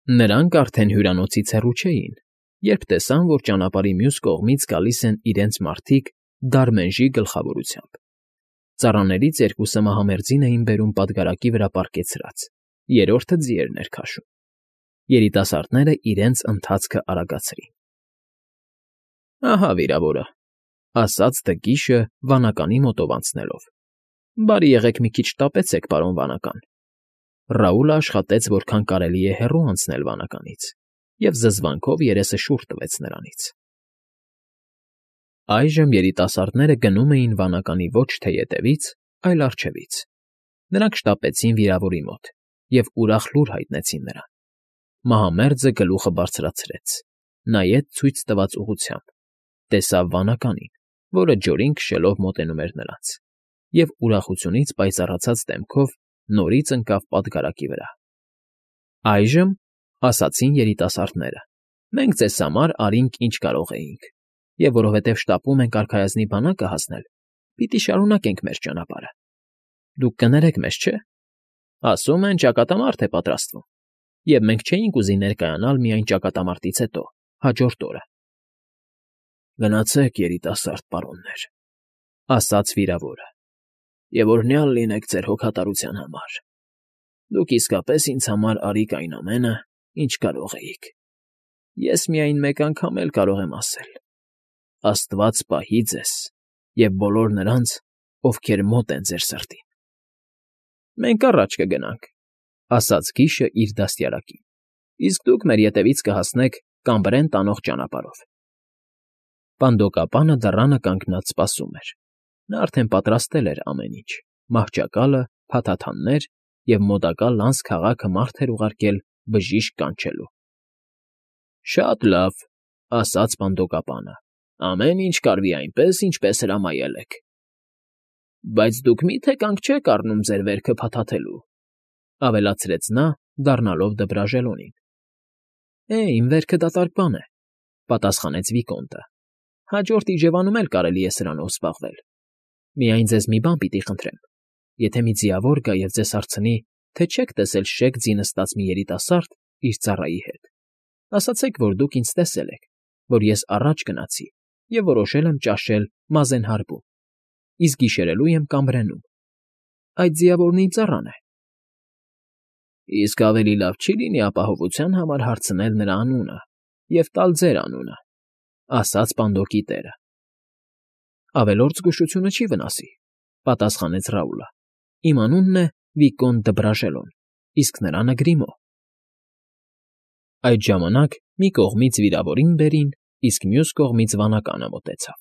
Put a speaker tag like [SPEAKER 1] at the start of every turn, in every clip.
[SPEAKER 1] Նրանք արդեն հյուրանոցից հեռու չէին, երբ տեսան, որ ճանապարհի մյուս կողմից գալիս են իրենց մարդիկ Դարմենժի գլխավորությամբ։ Ծառաներից երկուսը մահամերձին էին բերում պատգարակի վրա պառկեցրած, երրորդը ձիերն էր քաշում։ Երիտասարդները իրենց ընթացքը արագացրին։ Ահա վիրավորը,֊ ասաց Դգիշը վանականի մոտով անցնելով։ Բարի եղեք մի քիչ շտապեցեք, պարոն վանական։ Ռաուլը աշխատեց որքան կարելի է հեռու անցնել վանականից, և զզվանքով երեսը շուռ տվեց նրանից։ Այժմ երիտասարդները գնում էին վանականի ոչ թե ետևից, այլ առջևից։ Նրանք շտապեցին վիրավորի մոտ և ուրախ լուր հայտնեցին նրան։ Մահամերձը գլուխը բարձրացրեց, նայեց ցույց տված ուղղությամբ, տեսավ վանականին, որը ջորին քշելով մոտենում էր նրանց, և ուրախությունից պայծառացած դեմքով նորից ընկավ պատգարակի վրա։ Այժմ, ասացին երիտասարդները, մենք ձեզ համար արինք, ինչ կարող էինք, և որովհետև շտապում ենք արքայազնի բանակը հասնել, պիտի շարունակենք մեր ճանապարհը։ Դուք կներեք մեզ, չէ՞։ Ասում են, ճակատամարտ է պատրաստվում, և մենք չէինք ուզի ներկայանալ միայն ճակատամարտից հետո, հաջորդ օրը։ Գնացեք, երիտասարդ պարոններ,֊ ասաց վիրավորը,֊ և օրհնյալ լինեք ձեր հոգատարության համար։ Դուք իսկապես ինձ համար արիք այն ամենը, ինչ կարող էիք։ Ես միայն մեկ անգամ էլ կարող եմ ասել. «Աստված պահի ձեզ և բոլոր նրանց, ովքեր մոտ են ձեր սրտին»։ Մենք առաջ կգնանք,֊ ասաց Կիշը իր դաստիարակին,֊ իսկ դուք մեր ետևից կհասնեք Կամբրեն տանող ճանապարհով։ Պանդոկապանը դռանը կանգնած սպասում էր։ Նա արդեն պատրաստել էր ամեն ինչ՝ մահճակալը, փաթաթաններ և մոտակա լանց քաղաքը մարդ էր ուղարկել բժիշկ կանչելու։ Շատ լավ,֊ ասաց պանդոկապանը,֊ ամեն ինչ կարվի այնպես, ինչպես հրամայել եք։ Բայց դուք մի՞թե կանգ չեք առնում ձեր վերքը փաթաթելու,֊ ավելացրեց նա, դառնալով Դբրաժելոնին։ Իմ վերքը դատարկ բան է,֊ պատասխանեց Վիկոնտը։ Հաջորդ իջևանում էլ կարելի է սրանով զբաղվել։ Միայն ձեզ մի բան պիտի խնդրեմ. եթե մի ձիավոր գա և ձեզ հարցնի, թե չեք տեսել շեք ձի նստած մի երիտասարդ իր ծառայի հետ, ասացեք, որ դուք ինձ տեսել եք, որ ես առաջ գնացի և որոշել եմ ճաշել Մազենհարբում, իսկ գիշերելու եմ Կամբրենում։ Այդ ձիավորն իմ ծառան է։ Իսկ ավելի լավ չի՞ լինի ապահովության համար հարցնել նրա անունը և տալ ձեր անունը,֊ ասաց պանդոկի տերը։ Ավելորդ զգուշությունը չի վնասի,֊ պատասխանեց Ռաուլը։ Իմ անունն է Վիկոնտ Դբրաժելոն, իսկ նրանը՝ Գրիմո։ Այդ ժամանակ մի կողմից վիրավորին բերին, իսկ մյուս կողմից վանականը մոտեցավ։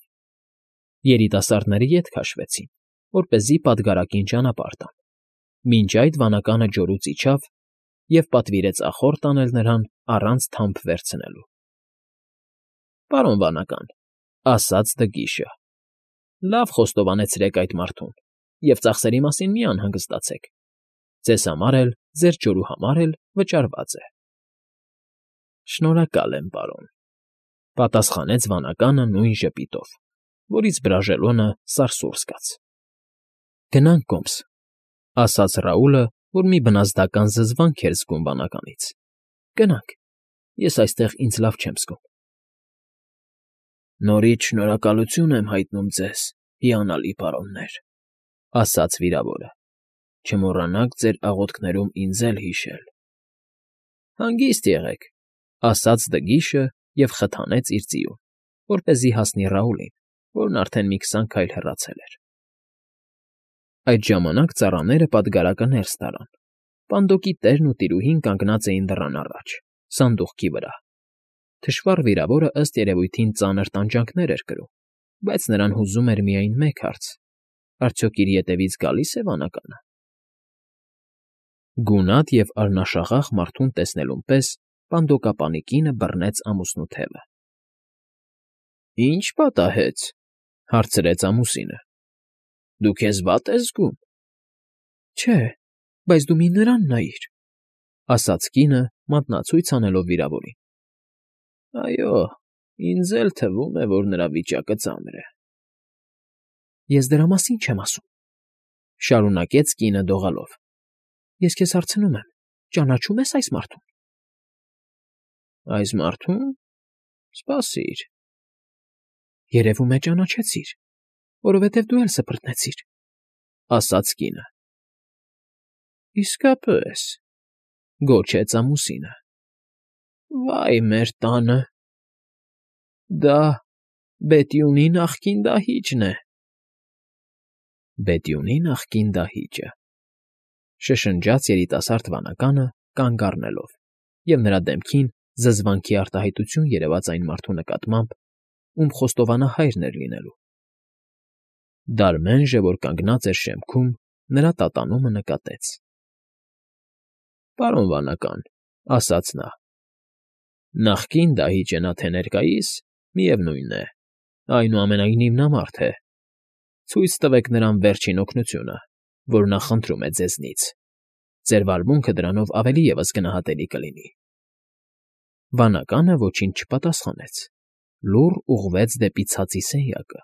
[SPEAKER 1] Երիտասարդները ետ քաշվեցին, որպեսզի պատգարակին ճանապարհ տան։ Մինչ այդ վանականը ջորուց իջավ և պատվիրեց ախոր տանել նրան առանց թամփ վերցնելու։ Պարոն վանական,֊ ասաց Դգիշը,֊ լավ խոստովանեցրեք այդ մարդուն և ծախսերի մասին մի անհանգստացեք։ Ձեզ համար էլ, ձեր ջորու համար էլ վճարված է։ Շնորհակալ եմ, պարոն,֊ պատասխանեց վանականը նույն ժպիտով, որից Բրաժելոնը սարսուռ զգաց։ Գնանք կոմս,֊ ասաց Ռաուլը, որ մի բնազդական զզվանք էր զգում վանականից։ Գնանք, ես այստեղ ինձ լավ չեմ զգում։ Նորից շնորհակալություն եմ հայտնում ձեզ, հիանալի պարոններ,֊ ասաց վիրավորը։ Չմոռանաք ձեր աղոթքներում ինձ էլ հիշել։ Հանգիստ եղեք,֊ ասաց Դգիշը և խթանեց իր ձիուն, որպեսզի հասնի Ռաուլին, որն արդեն մի 20 քայլ հեռացել էր։ Այդ ժամանակ ծառաները պատգարակը ներս տարան։ Պանդոկի տերն ու տիրուհին կանգնած էին դռան առաջ, սանդուղքի վրա։ Թշվառ վիրավորը, ըստ երևույթին, ծանր տանջանքներ էր կրում, բայց նրան հուզում էր միայն մեկ հարց. արդյոք իր ետևից գալի՞ս է վանականը։ Գունատ և արնաշաղախ մարդուն տեսնելուն պես պանդոկապանի կինը բռնեց ամուսնու թևը։ Ի՞նչ պատահեց,֊ հարցրեց ամուսինը։ Դու քեզ վատ ես զգում։ Չէ, բայց դու մի նրան նայիր,֊ ասաց կինը, մատնացույց անելով վիրավորին։ Այո, ինձ էլ թվում է, որ նրա վիճակը ծանր է։ Ես դրա մասին չեմ ասում,֊ շարունակեց կինը դողալով։ Ես քեզ հարցնում եմ. ճանաչո՞ւմ ես այս մարդուն։ Այս մարդո՞ւմ… Սպասիր… Երևում է ճանաչեցիր, որովհետև դու էլ սփռտնեցիր, ֊ ասաց կինը։ ֊ Իսկապես…֊ գոչեց ամուսինը։ ֊ Վա՜յ մեր տանը… Դա Բետյունի նախկին դահիճն է… Բետյունի նախկին դահիճը…֊ շշնջաց երիտասարդ վանականը կանգ առնելով, և նրա դեմքին զզվանքի արտահայտություն երևաց այն մարդու նկատմամբ, ում խոստովանահայրն էր լինելու։ Դարմենժը, որ կանգնած էր շեմքում, նրա տատանումը նկատեց։ ֊ Պարոն վանական, ֊ ասաց նա,֊ նախկին դահիճը նա թե ներկայիս, միևնույն է, այնուամենայնիվ նա մարդ է… Ցույց տվեք նրան վերջին օգնությունը, որ նա խնդրում է ձեզնից, ձեր վարմունքը դրանով ավելի ևս գնահատելի կլինի… Վանականը ոչինչ չպատասխանեց, լուռ ուղղվեց դեպի ցածի սենյակը,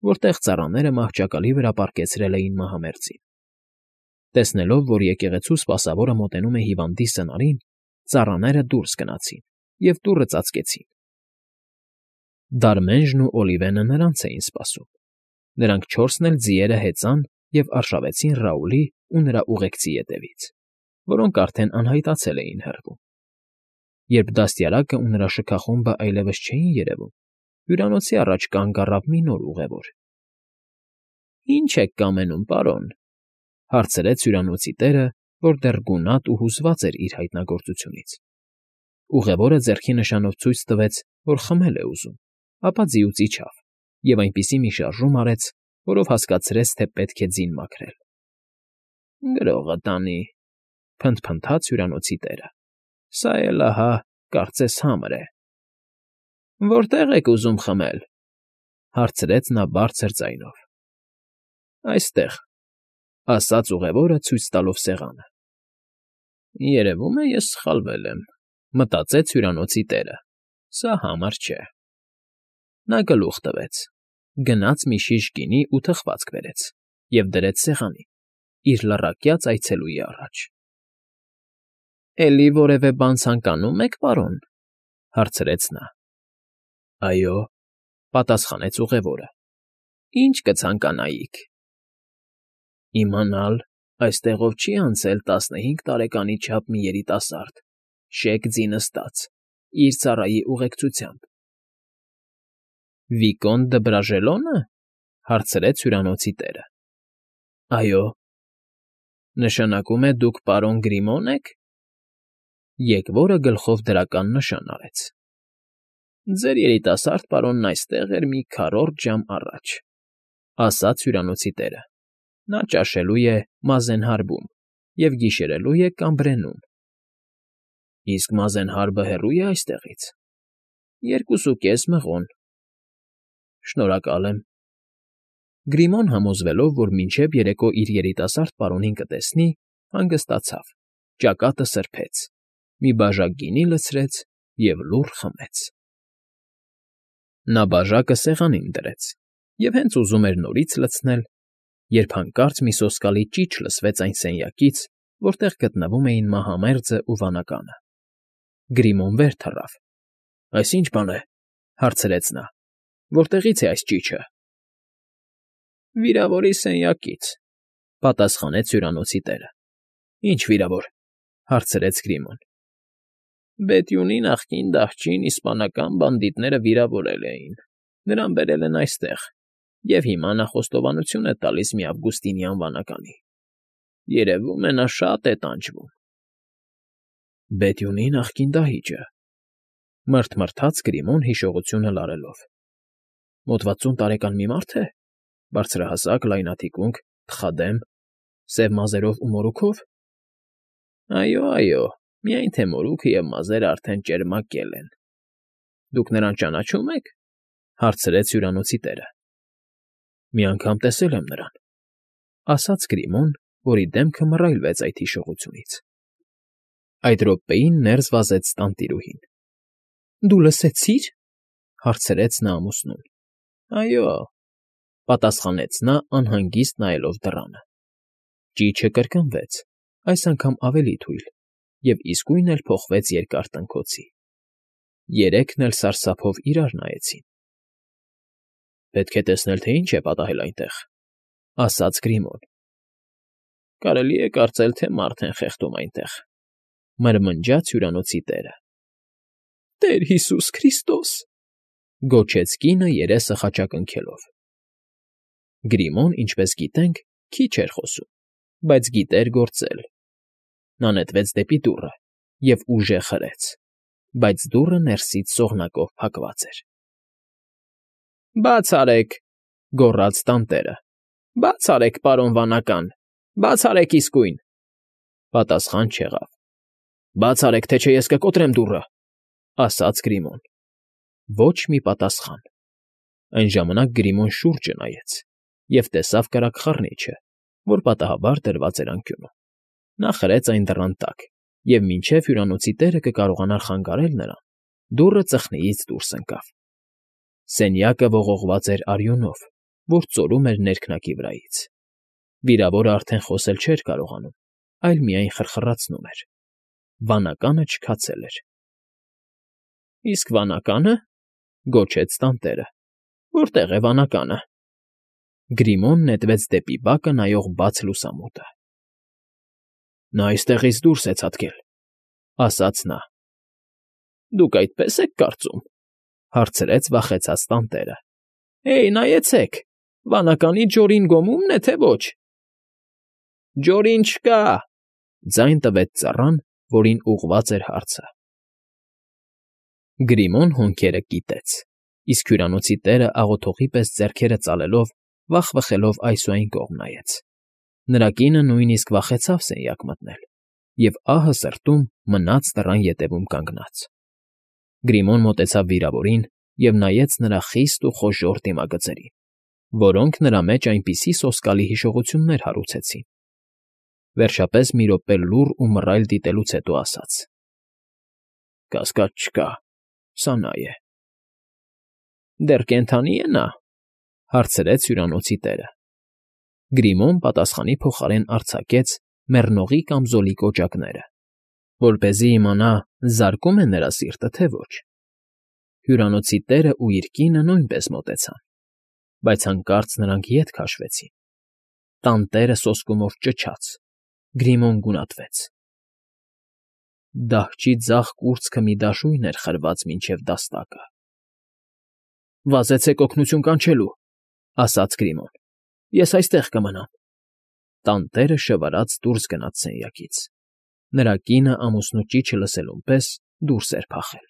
[SPEAKER 1] որտեղ ծառաները մահճակալի վրա պառկեցրել էին մահամերձին։ Տեսնելով, որ եկեղեցու սպասավորը մոտենում է հիվանդի սնարին, ծառաները դուրս գնացին և դուռը ծածկեցին։ Դարմենժն ու Օլիվենը նրանց էին սպասում։ Նրանք չորսն էլ ձիերը հեծան և արշավեցին Ռաուլի ու նրա ուղեկցի ետևից, որոնք արդեն անհայտացել էին հեռվում։ Երբ դաստիարակն ու նրա շքախումբը այլևս չէին երևում, հյուրանոցի առաջ կանգ առավ մի նոր ուղևոր։ ֊ Ի՞նչ եք կամենում, պարոն, ֊ հարցրեց հյուրանոցի տերը, որ դեռ գունատ ու հուզված էր իր հայտնագործությունից։ Ուղևորը ձեռքի նշանով ցույց տվեց, որ խմել է ուզում, ապա ձիուց իջավ և այնպիսի մի շարժում արեց, որով հասկացրեց, թե պետք է ձին մաքրել։ ֊ Գրողը տանի…֊ փնթփնթաց հյուրանոցի տերը։֊ Սա էլ, ահա, կարծես համր է… ֊ Որտե՞ղ եք ուզում խմել,֊ հարցրեց նա բարձր ձայնով։ ֊ Այստեղ…֊ ասաց ուղևորը ցույց տալով սեղանը։ Երևում է, ես սխալվել եմ, ֊ մտածեց հյուրանոցի տերը, ֊ սա համար չէ… Նա գլուխ տվեց, գնաց մի շիշ գինի ու թխվածք բերեց և դրեց սեղանին, իր լռակյաց այցելուի առաջ։ ֊ Էլի որևէ բան ցանկանում եք, պարոն, ֊ հարցրեց նա։ ֊ Այո…֊ պատասխանեց ուղևորը։ ֊ Ինչ կցանկանայիք։ ֊ Իմանալ՝ այստեղով չի՞ անցել 15 տարեկանի չափ մի երիտասարդ, շեկ ձի նստած, իր ծառայի ուղեկցությամբ։ ֊ Վիկոնտ դը Բրաժելո՞նը,֊ հարցրեց հյուրանոցի տերը։ ֊ Այո։ ֊ Նշանակում է դուք պարոն Գրիմո՞ն եք։ Եկվորը գլխով դրական նշան արեց։ ֊ Ձեր երիտասարդ պարոնն այստեղ էր մի քառորդ ժամ առաջ, ֊ ասաց հյուրանոցի տերը։ Նա ճաշելու է Մազենհարբում և գիշերելու է Կամբրենում։ ֊ Իսկ Մազենհարբը հեռո՞ւ է այստեղից։ ֊ 2.5 մղոն։ ֊ Շնորհակալ եմ։ Գրիմոն, համոզվելով, որ մինչև երեկո իր երիտասարդ պարոնին կտեսնի, հանգստացավ, ճակատը սրբեց, մի բաժակ գինի լցրեց և լուռ խմեց։ Նա բաժակը սեղանին դրեց և հենց ուզում էր նորից լցնել, երբ հանկարծ մի սոսկալի ճիչ լսվեց այն սենյակից, որտեղ գտնվում էին մահամերձն ու վանականը։ Գրիմոն վեր թռավ։ ֊ Այս ի՞նչ բան է,֊ հարցրեց նա։ ֊ Որտեղի՞ց է այս ճիչը։ ֊ Վիրավորի սենյակից,֊ պատասխանեց հյուրանոցի տերը։ ֊ Ի՞նչ վիրավոր,֊ հարցրեց Գրիմոն։ ֊ Բետյունի նախկին դահճին իսպանական բանդիտները վիրավորել էին, նրան բերել են այստեղ և հիմա նա խոստովանություն է տալիս մի ավգուստինյան վանականի… Երևում է, նա շատ է տանջվում։ ֊ Բետյունի նախկին դահիճը…֊ մռթմռթաց Գրիմոն հիշողությունը լարելով։ ֊ Մոտ 60 տարեկան մի մարդ է, բարձրահասակ, լայնաթիկունք, թխադեմ, սև մազերով ու մորուքով։ ֊ Այո, այո, միայն թե մորուքը և մազերը արդեն ճերմակել են։ ֊ Դուք նրան ճանաչո՞ւմ եք,֊ հարցրեց հյուրանոցի տերը։ ֊ Մի անգամ տեսել եմ նրան,֊ ասաց Գրիմոն, որի դեմքը մռայլվեց այդ հիշողությունից։ Այդ րոպեին ներս վազեց տանտիրուհին։ ֊ Դու լսեցի՞ր,֊ հարցրեց նա ամուսնուն։ ֊ Այո,֊ պատասխանեց նա անհանգիստ նայելով դռանը։ Ճիչը կրկնվեց, այս անգամ ավելի թույլ, և իսկույն էլ փոխվեց երկար տնքոցի։ Երեքն էլ սարսափով իրար նայեցին։ ֊ Պետք է տեսնել, թե ինչ է պատահել այնտեղ,֊ ասաց Գրիմոն։ ֊ Կարելի է կարծել, թե մարդ են խեղդում այնտեղ,֊ մրմնջաց հյուրանոցի տերը։ ֊ Տեր Հիսուս Քրիստոս…֊ գոչեց կինը երեսը խաչակնքելով։ Գրիմոն, ինչպես գիտենք, քիչ էր խոսում, բայց գիտեր գործել։ Նա նետվեց դեպի դուռը և ուժեղ հրեց, բայց դուռը ներսից սողնակով փակված էր։ ֊ Բաց արեք,֊ գոռաց տանտերը։֊ Բաց արեք, պարոն վանական, բաց արեք իսկույն… Պատասխան չեղավ։ ֊ Բաց արեք, թե չէ ես կկոտրեմ դուռը,֊ ասաց Գրիմոն։ Ոչ մի պատասխան։ Այն ժամանակ Գրիմոն շուրջը նայեց և տեսավ կրակ խռնիչը, որ պատահաբար դրված էր անկյունում։ Նա խրեց այն դռան տակ, և մինչև հյուրանոցի տերը կկարողանար խանգարել նրան, դուռը ծխնիից դուրս ընկավ։ Սենյակը ողողված էր արյունով, որ ծորում էր ներքնակի վրայից։ Վիրավորը արդեն խոսել չէր կարողանում, այլ միայն խրխրացնում էր։ Վանականը չքացել էր։ ֊ Իսկ վանակա՞նը,֊ գոչեց տանտերը։֊ Որտե՞ղ է վանականը։ Գրիմոն նետվեց դեպի բակը նայող բաց լուսամուտը։ ֊ Նա այստեղից դուրս է ցատկել,֊ ասաց նա։ ֊ Դուք այդպես եք կարծում,֊ հարցրեց վախեցած տանտերը։ ֊ Հեյ, նայեցեք, վանականի ջորին գոմու՞մն է, թե ոչ։ ֊ Ջորին չկա,֊ ձայն տվեց ծառան, որին ուղղված էր հարցը։ Գրիմոն հոնքերը կիտեց, իսկ հյուրանոցի տերը աղոթողի պես ձեռքերը ծալելով վախվխելով այս ու այն կողմ նայեց։ Նրա կինը նույնիսկ վախեցավ սենյակ մտնել և ահը սրտում մնաց դռան ետևում կանգնած։ Գրիմոն մոտեցավ վիրավորին և նայեց նրա խիստ ու խոժոռ դիմագծերին, որոնք նրա մեջ այնպիսի սոսկալի հիշողություններ հարուցեցին։ Վերջապես մի րոպե լուռ ու մռայլ դիտելուց հետո ասաց. ֊ Կասկած չկա, սա նա է։ ֊ Դեռ կենդանի՞ է նա,֊ հարցրեց հյուրանոցի տերը։ Գրիմոն պատասխանի փոխարեն արձակեց մեռնողի կամզոլի կոճակները, որպեսզի իմանա՝ զարկո՞ւմ է նրա սիրտը, թե ոչ։ Հյուրանոցի տերն ու իր կինը նույնպես մոտեցան, բայց հանկարծ նրանք ետ քաշվեցին։ Տանտերը սոսկումով ճչաց։ Գրիմոն գունատվեց։ Դահչի ձախ կուրծքը մի դաշույն էր խրված մինչև դաստակը։ ֊ Վազեցեք օգնություն կանչելու,֊ ասաց Գրիմոն։ ֊ Ես այստեղ կմնամ։ Տանտերը շվարած դուրս գնաց սենյակից։ Նրա կինը ամուսնու ճիչը լսելուն պես դուրս էր փախել։